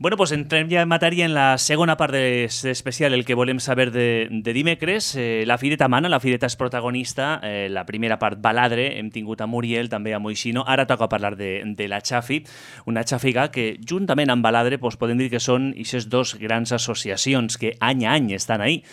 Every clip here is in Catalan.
Bueno, pues entrem ja en matèria en la segona part d'especial, el que volem saber de dimecres. La Fireta mana, la Fireta és protagonista. La primera part, Baladre, hem tingut a Muriel, també a Moixino. Ara toca parlar de la Xafi, una xàfiga que, juntament amb Baladre, doncs podem dir que són aquestes dos grans associacions que any a any estan ahí.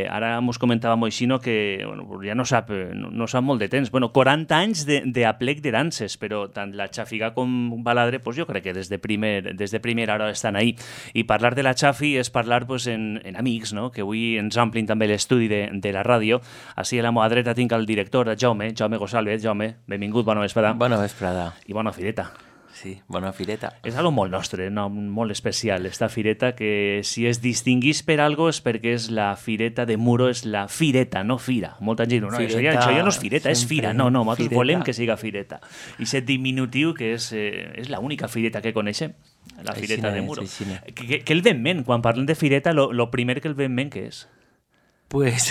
Ara ens comentava Moixino que ja no sap molt de temps. 40 anys d'aplec de danses, però tant la Xàfiga com Baladre, jo crec que des de primera hora estan ahí. I parlar de la Xafi és parlar en amics, no? Que avui ens omplin també l'estudi de la ràdio. Així a la meva dreta tinc el director, Jaume González. Jaume, benvingut, bona vesprada. Bona vesprada. I bona fireta. Sí, bona fireta. És algo molt nostre, no? Molt especial, esta fireta, que si es distinguís per algo és perquè és la fireta de Muro, és la fireta, no fira. Molta gent diu, no, això ja no és fireta, és fira. No, nosaltres volem que siga fireta. I aquest diminutiu que és l'única fireta que coneixem, la fireta de Muro. Què el ve en ment? Quan parlem de fireta, lo primer que el ve en ment, què és? Pues...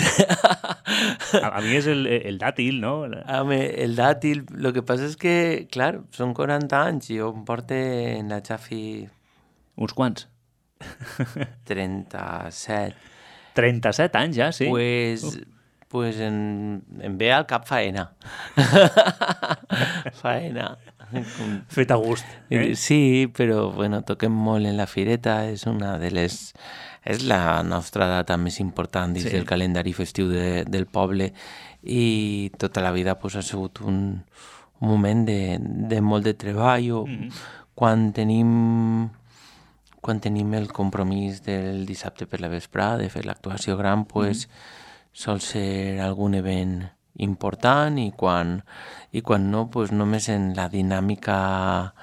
a mí es el dátil, ¿no? El dátil, lo que pasa es que, claro, son 40 anys, jo em porte en la Xafi... Uns quants? 37. 37 anys ja, sí? Pues em ve al cap faena. Faena. Fet a gust. Sí, però, bueno, toquem molt en la fireta, és una de les... És la nostra data més important dins del calendari festiu del poble i tota la vida ha sigut un moment de molt de treball. Quan tenim el compromís del dissabte per la vesprada de fer l'actuació gran, sol ser algun event important i quan no, només en la dinàmica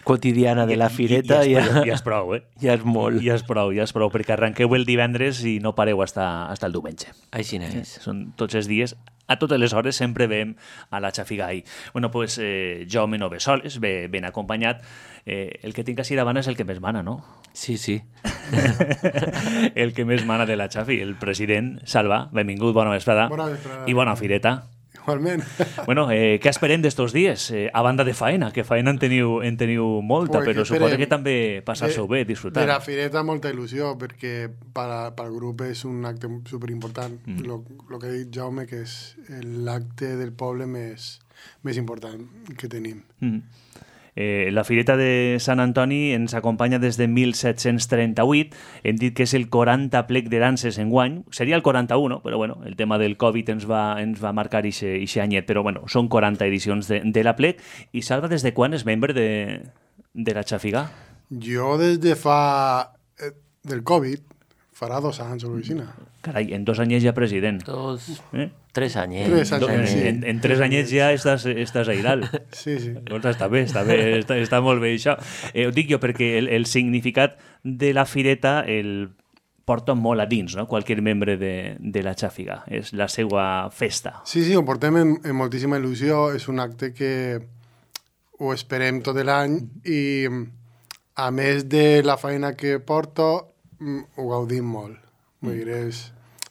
quotidiana de la fireta ja és prou, Ja és molt. Ja és prou, perquè arrenqueu el divendres i no pareu hasta el diumenge. Així és. Són tots els dies, a totes les hores sempre veiem a la Xafigai. Bueno, pues Jaume no ve soles, ve ben acompanyat. El que tinc així davant és el que més mana, no? Sí. El que més mana de la Xafi, el president Salva. Benvingut, bona vesprada. Bona vesprada. I bona fireta. Igualment. Bueno, què esperem d'estos dies? A banda de faena, que faena en teniu molta, però suposo que també passar-s'ho bé, disfrutar. De la fireta molta il·lusió, perquè pel grup és un acte superimportant. Lo que ha dit Jaume, que és l'acte del poble més important que tenim. La Fireta de Sant Antoni ens acompanya des de 1738. Hem dit que és el 40 plec de danses enguany. Seria el 41, però bueno, el tema del Covid ens va marcar ixe anyet. Però bueno, són 40 edicions de la plec. I Salva, des de quan és membre de la Xafiga? Jo des de fa... del Covid, farà 2 anys a l'oficina. Carai, en 2 anyets ja president. 3 anyets. En 3 anyets ja estàs ahí dalt. Sí. Doncs està bé, està molt bé això. Ho dic jo perquè el significat de la fireta el porta molt a dins, no? Qualsevol membre de la Xàfiga. És la seva festa. Sí, ho portem amb moltíssima il·lusió. És un acte que ho esperem tot l'any i a més de la feina que porto ho gaudim molt. Vull dir,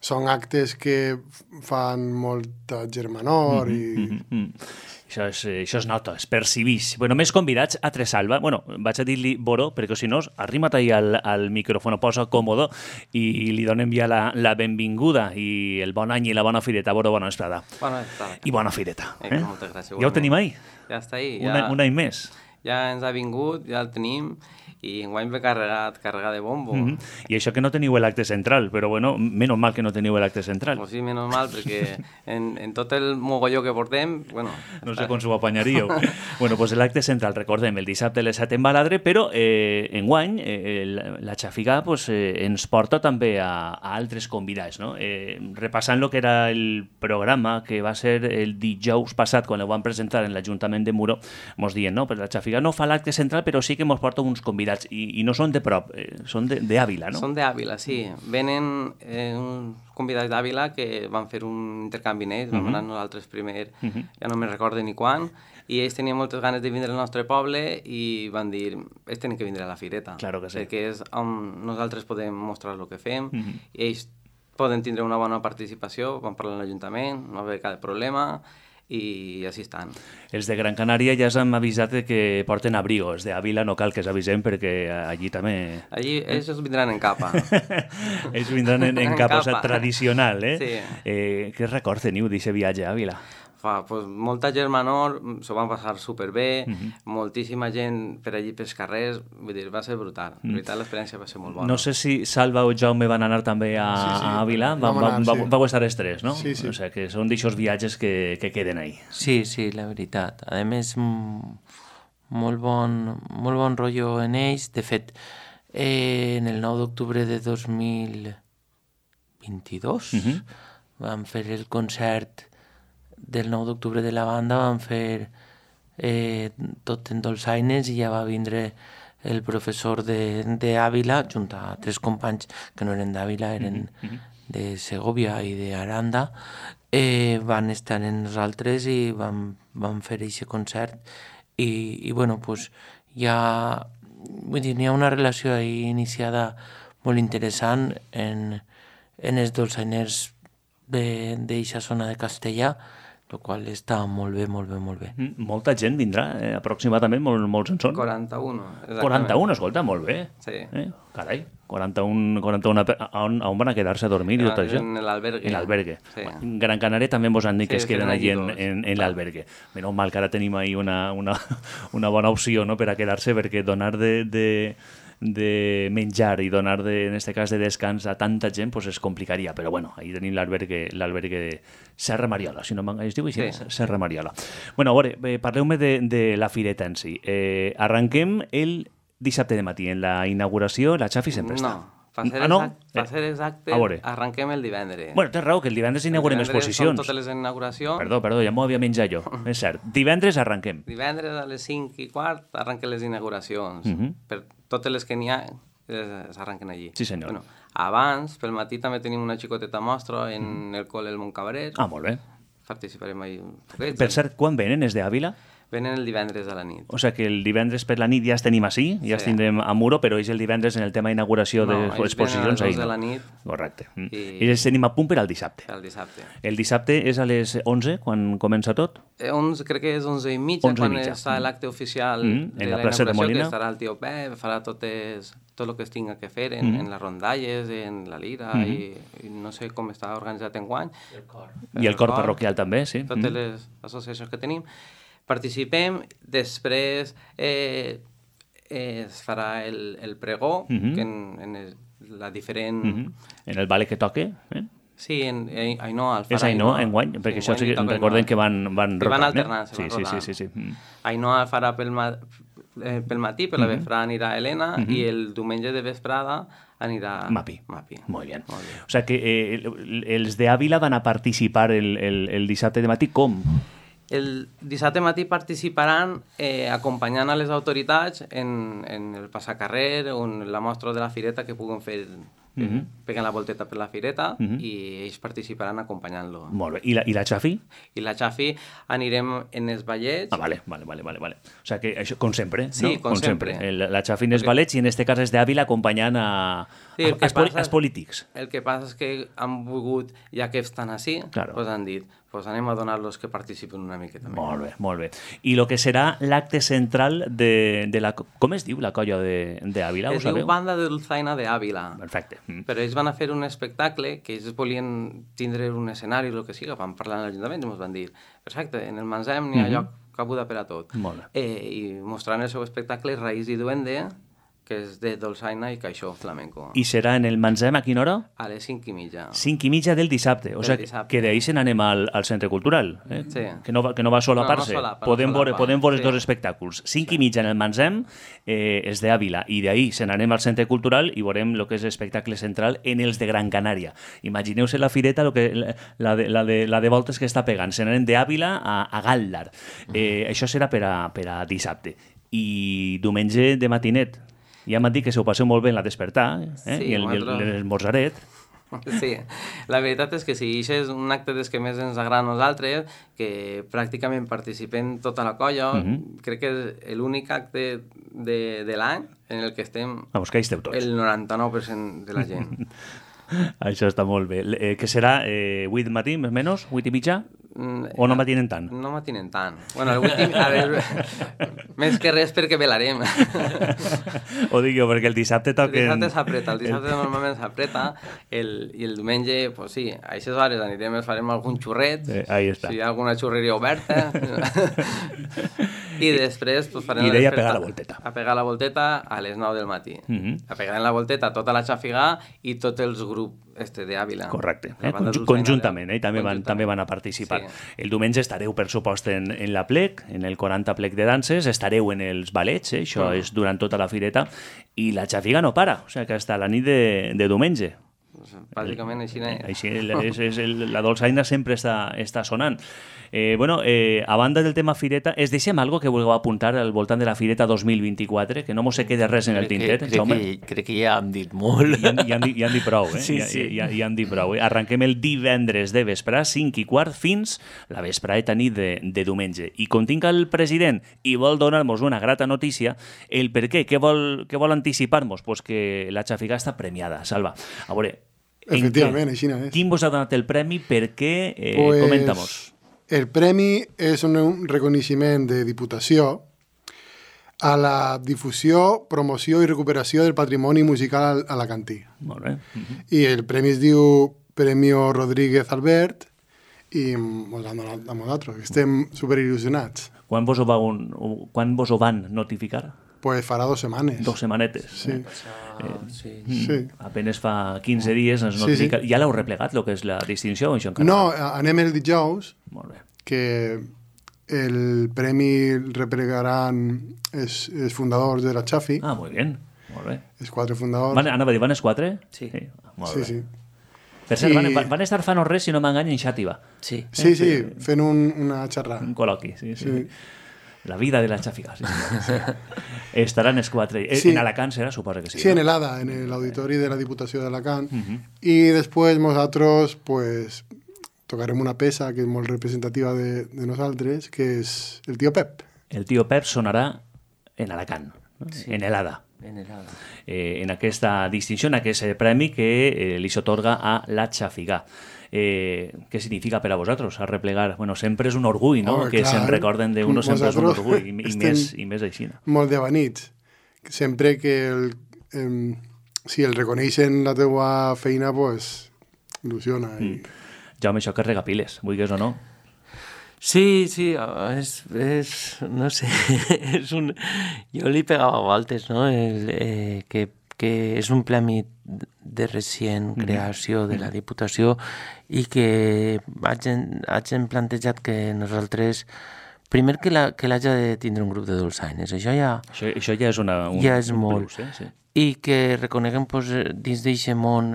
són actes que fan molta germanor i... Això es nota, es percibix. Bueno, més convidats a Tresalva. Bueno, vaig a dir-li Boro, perquè si no, arrima't ahí al micròfon, posa còmodo i li donem ja la benvinguda i el bon any i la bona fireta. Boro, bona vesprada. Bona vesprada. I bona fireta. Moltes gràcies. Ja ho tenim ahí? Ja està ahí. Un any més. Ja ens ha vingut, ja el tenim, i enguany ve carregat de bombo. I això que no teniu l'acte central, però bueno, menys mal que no teniu l'acte central. Pues sí, menys mal, perquè en tot el mogolló que portem, bueno... No sé com s'ho apanyaríeu. Bueno, pues l'acte central, recordem, el dissabte a les 7 en Baladre, però enguany la Xàfiga ens porta també a altres convidats, no? Repassant el que era el programa que va ser el dijous passat, quan ho van presentar en l'Ajuntament de Muro, mos dient, no? Però la Xàfiga no fa l'acte central, però sí que mos porta uns convidats, i no són de prop, són d'Àvila, no? Són d'Àvila, sí. Venen uns convidats d'Àvila que van fer un intercanvi en ells, vam anar nosaltres primer, ja no me'n recordo ni quan, i ells tenien moltes ganes de vindre al nostre poble i van dir, ells tenen que vindre a la fireta, claro que sí. Perquè és on nosaltres podem mostrar el que fem, i ells poden tindre una bona participació, van parlar amb l'Ajuntament, no va haver cap problema, i així estan. Els de Gran Canària ja s'han avisat que porten abrigo. Els d'Àvila no cal que s'avisem perquè allí també... Allí ells vindran en capa. Ells vindran en capa, o sigui, tradicional, eh? Sí. Què record teniu d'aquest viatge a Àvila? Pues, molta gent menor s'ho van passar superbé, moltíssima gent per allí pels carrers, vull dir, va ser brutal. De veritat, l'experiència va ser molt bona. No sé si Salva o Jaume van anar també a Àvila, vau estar els tres, no? Sí. O sigui, que són d'aixòs viatges que queden ahí. Sí, la veritat. A més, molt bon rotllo en ells. De fet, en el 9 d'octubre de 2022 vam fer el concert del 9 d'octubre de la banda, vam fer tot en dolçaines i ja va vindre el professor d'Àvila, junt a 3 companys que no eren d'Àvila, eren de Segovia i d'Aranda, van estar en nosaltres i vam fer aquest concert i bueno, pues ja, vull dir, n'hi ha una relació ahí iniciada molt interessant en els dolçainers d'eixa zona de Castellà, el qual està molt bé. Molta gent vindrà, aproximadament, molts en són? 41. 41, escolta, molt bé. Sí. Carai, 41 on van a quedar-se a dormir i tot això? En l'albergue. En l'albergue. Sí. Gran Canària també mos han dit que es queden allí allí en l'albergue. Menys mal que ara tenim ahí una bona opció, no?, per a quedar-se, perquè donar de menjar i donar, en este cas, de descans a tanta gent, pues es complicaria. Però bueno, ahí tenim l'albergue de Serra Mariola, si no es diu així, sí. Serra Mariola. Bueno, a veure, parleu-me de la fireta en si. Arranquem el dissabte de matí. En la inauguració, la Xafi sempre està. No, per ser exacte, arranquem el divendres. Bueno, tens raó, que el divendres inaugurem exposicions. Són totes les inauguracions. Perdó, ja m'ho havia menjat jo. És cert. Divendres arranquem. Divendres a les 5:15 arranquen les inauguracions. Per totes les que n'hi ha, s'arranquen allí. Sí, senyor. Bueno, abans, pel matí, també tenim una xicoteta mostra en el col·le del Montcabaret. Ah, molt bé. Participarem ahí un poquet. Per cert, quan venen, és d'Àvila? Venen el divendres a la nit. O sigui que el divendres per la nit ja els tenim així, ja els tindrem a Muro, però és el divendres en el tema d'inauguració d'exposicions. No, ells venen a les 2 de la nit. Correcte. I els tenim a punt per al dissabte. El dissabte. El dissabte és a les 11, quan comença tot? 11, crec que és 11:30, quan està l'acte oficial de la plaça de Molina, que estarà el tio Pep, farà tot el que es tinga que fer en les rondalles, en la lira, i no sé com està organitzat enguany. I el cor parroquial també, sí. Totes les associacions que tenim. Participem, després es farà el pregó, que en la diferent... En el ballet que toque, Sí, Ainhoa el farà. És Ainhoa, enguany? Perquè això recordem que van rotant. Van alternant, se van rotant. Sí. Ainhoa farà pel matí, per la vesprada anirà Helena, i el diumenge de vesprada anirà Mapi. Molt bé. Molt bé. O sigui que els d'Àvila van a participar el dissabte de matí, com? El dissabte matí participaran acompanyant a les autoritats en el passacarrer o en la mostra de la fireta que puguen fer, peguen la volteta per la fireta i ells participaran acompanyant-lo. Molt bé. I la Xafi? I la Xafi anirem en els ballets. Ah, vale. O sigui que això, com sempre, sí, no? com sempre. La Xafi en els ballets i en este cas és d'Àvila acompanyant els polítics. El que passa és que han volgut, ja que estan així, doncs han dit, pues anem a donar-los que participen una miqueta més. Molt bé. I el que serà l'acte central de la... Com es diu la colla d'Àvila? Es diu Banda de Dulzaina d'Àvila. Perfecte. Però ells van a fer un espectacle que ells volien tindre un escenari o el que sigui, van parlar en l'Ajuntament i ens van dir, perfecte, en el Mansem n'hi ha lloc cabuda per a tot. Molt bé. I mostraran el seu espectacle Raïs i Duende, que és de dolçaina i caixó flamenco. I serà en el Mansem a quina hora? A les 5:30. 5:30 del dissabte. O sigui que d'ahir se n'anem al Centre Cultural. Sí. Que no va solapar-se. Podem veure dos espectacles. 5:30 en el Mansem és d'Àvila i d'ahir se n'anem al Centre Cultural i veurem el que és l'espectacle central en els de Gran Canària. Imagineu-se la fireta, la de voltes que està pegant. Se n'anem d'Àvila a Galdar. Això serà per a dissabte. I diumenge de matinet. Ja m'han dit que se ho passeu molt bé en la despertar i l'esmorzaret. Sí, la veritat és que sí, això és un acte des que més ens agrada a nosaltres, que pràcticament participem tota la colla. Crec que és l'únic acte de l'any en el que estem que hi esteu tots. El 99% de la gent. Això està molt bé. Que serà 8 del matí, més o menys? 8:30? O no m'atinen tant? No m'atinen tant. Bueno, l'últim, a veure, més que res perquè velarem. Ho dic jo, perquè el dissabte toquen... El dissabte s'apreta, el dissabte normalment s'apreta, i el diumenge, pues sí, a aquestes hores anirem, farem algun xurret, ahí està. Si hi ha alguna xurreria oberta, i després pues, farem... I d'ella a pegar la volteta. A pegar la volteta a les 9 del matí. A pegar en la volteta tota la xafigà i tots els grups d'Àvila. Correcte, conjuntament, també van a participar. Sí. El diumenge estareu, per supost, en la plec, en el 40 plec de danses, estareu en els ballets, això és durant tota la fireta, i la xafiga no para, o sigui que hasta la nit de diumenge. Bàsicament així... La dolçaina sempre està sonant. A banda del tema fireta, es deixem algo que vulgueu apuntar al voltant de la fireta 2024, que no mos se quede res en el tinter, Jaume? Crec que ja hem dit molt. Ja han dit prou, Sí. Ja han dit prou. Arrenquem el divendres de vesprà, 5:15, fins la vesprada nit de diumenge. I com tinc el president i vol donar-nos una grata notícia, el per què? Què vol anticipar-nos? Pues que la xafiga està premiada, Salva. A veure, efectivament, així és. Quin vos ha donat el premi? Per què? Comenta-mos. El premi és un reconeixement de Diputació a la difusió, promoció i recuperació del patrimoni musical alacantí. Molt bé. I el premi es diu Premio Rodríguez Albert i mos l'han donat a nosaltres. Estem superil·lusionats. Quan vos ho van notificar? Pues farà 2 setmanes. 2 setmanetes. Sí. Sí. Apenas fa 15 dies ens notifica. Ja l'heu replegat, el que és la distinció? No, anem el dijous, Molt bé. que el premi replegaran els fundadors de la Xafi. Ah, molt bé. Molt bé. Els 4 fundadors. Anava a dir, van els 4? Sí. Molt bé. Sí. Per cert, van estar fa no res, si no m'engany, en Xàtiva. Sí. Sí, fent una xerrada. Un col·loqui, sí. La vida de la xafiga, sí. Estaran els 4. En Alacant serà? Suposo que sí. Sí, en el ADA, en l'auditori de la Diputació d'Alacant. I després nosaltres pues, tocarem una peça que és molt representativa de nosaltres, que és el Tío Pep. El Tío Pep sonarà en Alacant, no? Sí. En el ADA. En el ADA. En aquesta distinció, en aquest premi que li s'atorga a la xafiga. Què significa per a vosaltres arreplegar? Bueno, sempre és un orgull, no? Que se'n recorden d'uno, sempre és un orgull, i més així. No? Molt d'avanits. Sempre que si el reconeixen la teua feina, pues, il·lusiona. Jaume, això que regapiles, vulguis o no? Sí, no sé, jo li pegava voltes, no? Que és un premi de recient creació de la Diputació i que hagin plantejat que nosaltres, primer que l'haja de tindre un grup de dolçaines, això ja és un molt, plus, sí. I que reconeguem dins d'aquest món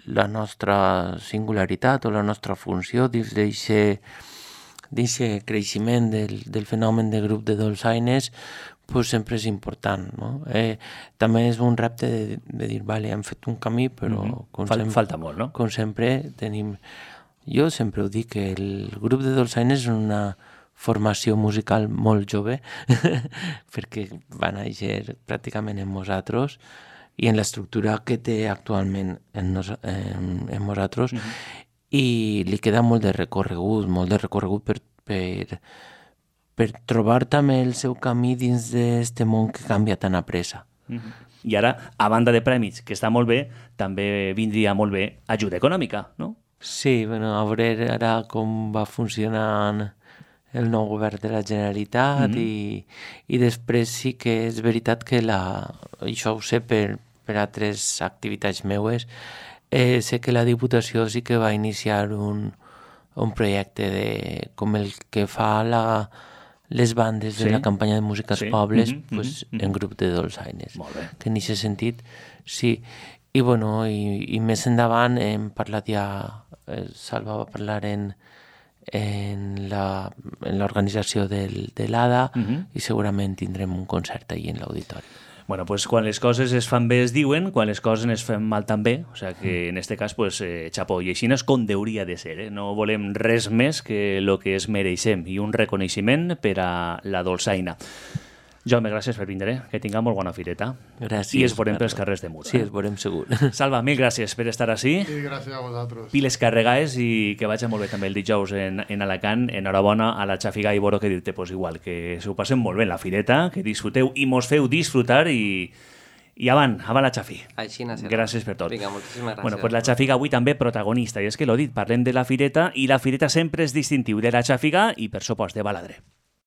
la nostra singularitat o la nostra funció, dins d'aquest creixement del fenomen de grup de dolçaines, pues sempre és important, no? També és un repte de dir, vale, hem fet un camí, però falta molt, no? Com sempre tenim... Jo sempre ho dic, que el grup de dolçaines és una formació musical molt jove, perquè va néixer pràcticament en nosaltres i en l'estructura que té actualment en nosaltres, i li queda molt de recorregut per trobar també el seu camí dins d'aquest món que canvia tan a pressa. I ara, a banda de prèmits, que està molt bé, també vindria molt bé ajuda econòmica, no? Sí, bueno, a veure ara com va funcionant el nou govern de la Generalitat i després sí que és veritat que això ho sé per altres activitats meues, sé que la Diputació sí que va iniciar un projecte com el que fa les bandes de la campanya de música als pobles en grup de dolçaines. Que en aquest sentit, sí. I bueno, i més endavant hem parlat ja, Salva va parlar en l'organització de l'ADA i segurament tindrem un concert allà en l'auditori. Bueno, pues quan les coses es fan bé es diuen, quan les coses es fan mal també, o sea que en este cas, pues, xapó, i així és com hauria de ser, no volem res més que el que es mereixem i un reconeixement per a la dolçaina. Jaume, gràcies per vindre, que tinguem molt bona fireta. Gràcies. I es veurem pels carrers de Mur. Sí, es veurem segur. Salva, mil gràcies per estar així. I gràcies a vosaltres. Piles carregades i que vagi molt bé també el dijous en Alacant. Enhorabona a la Xafiga i Boro, que dir-te pues, igual, que s'ho passem molt bé en la fireta, que disfruteu i mos feu disfrutar i avant la Xafi. Així serà. Gràcies per tot. Vinga, moltíssimes gràcies. Bueno, pues la Xafiga avui també protagonista, i és que l'ho dit, parlem de la fireta i la fireta sempre és distintiu de la Xafiga i per supost de Baladre.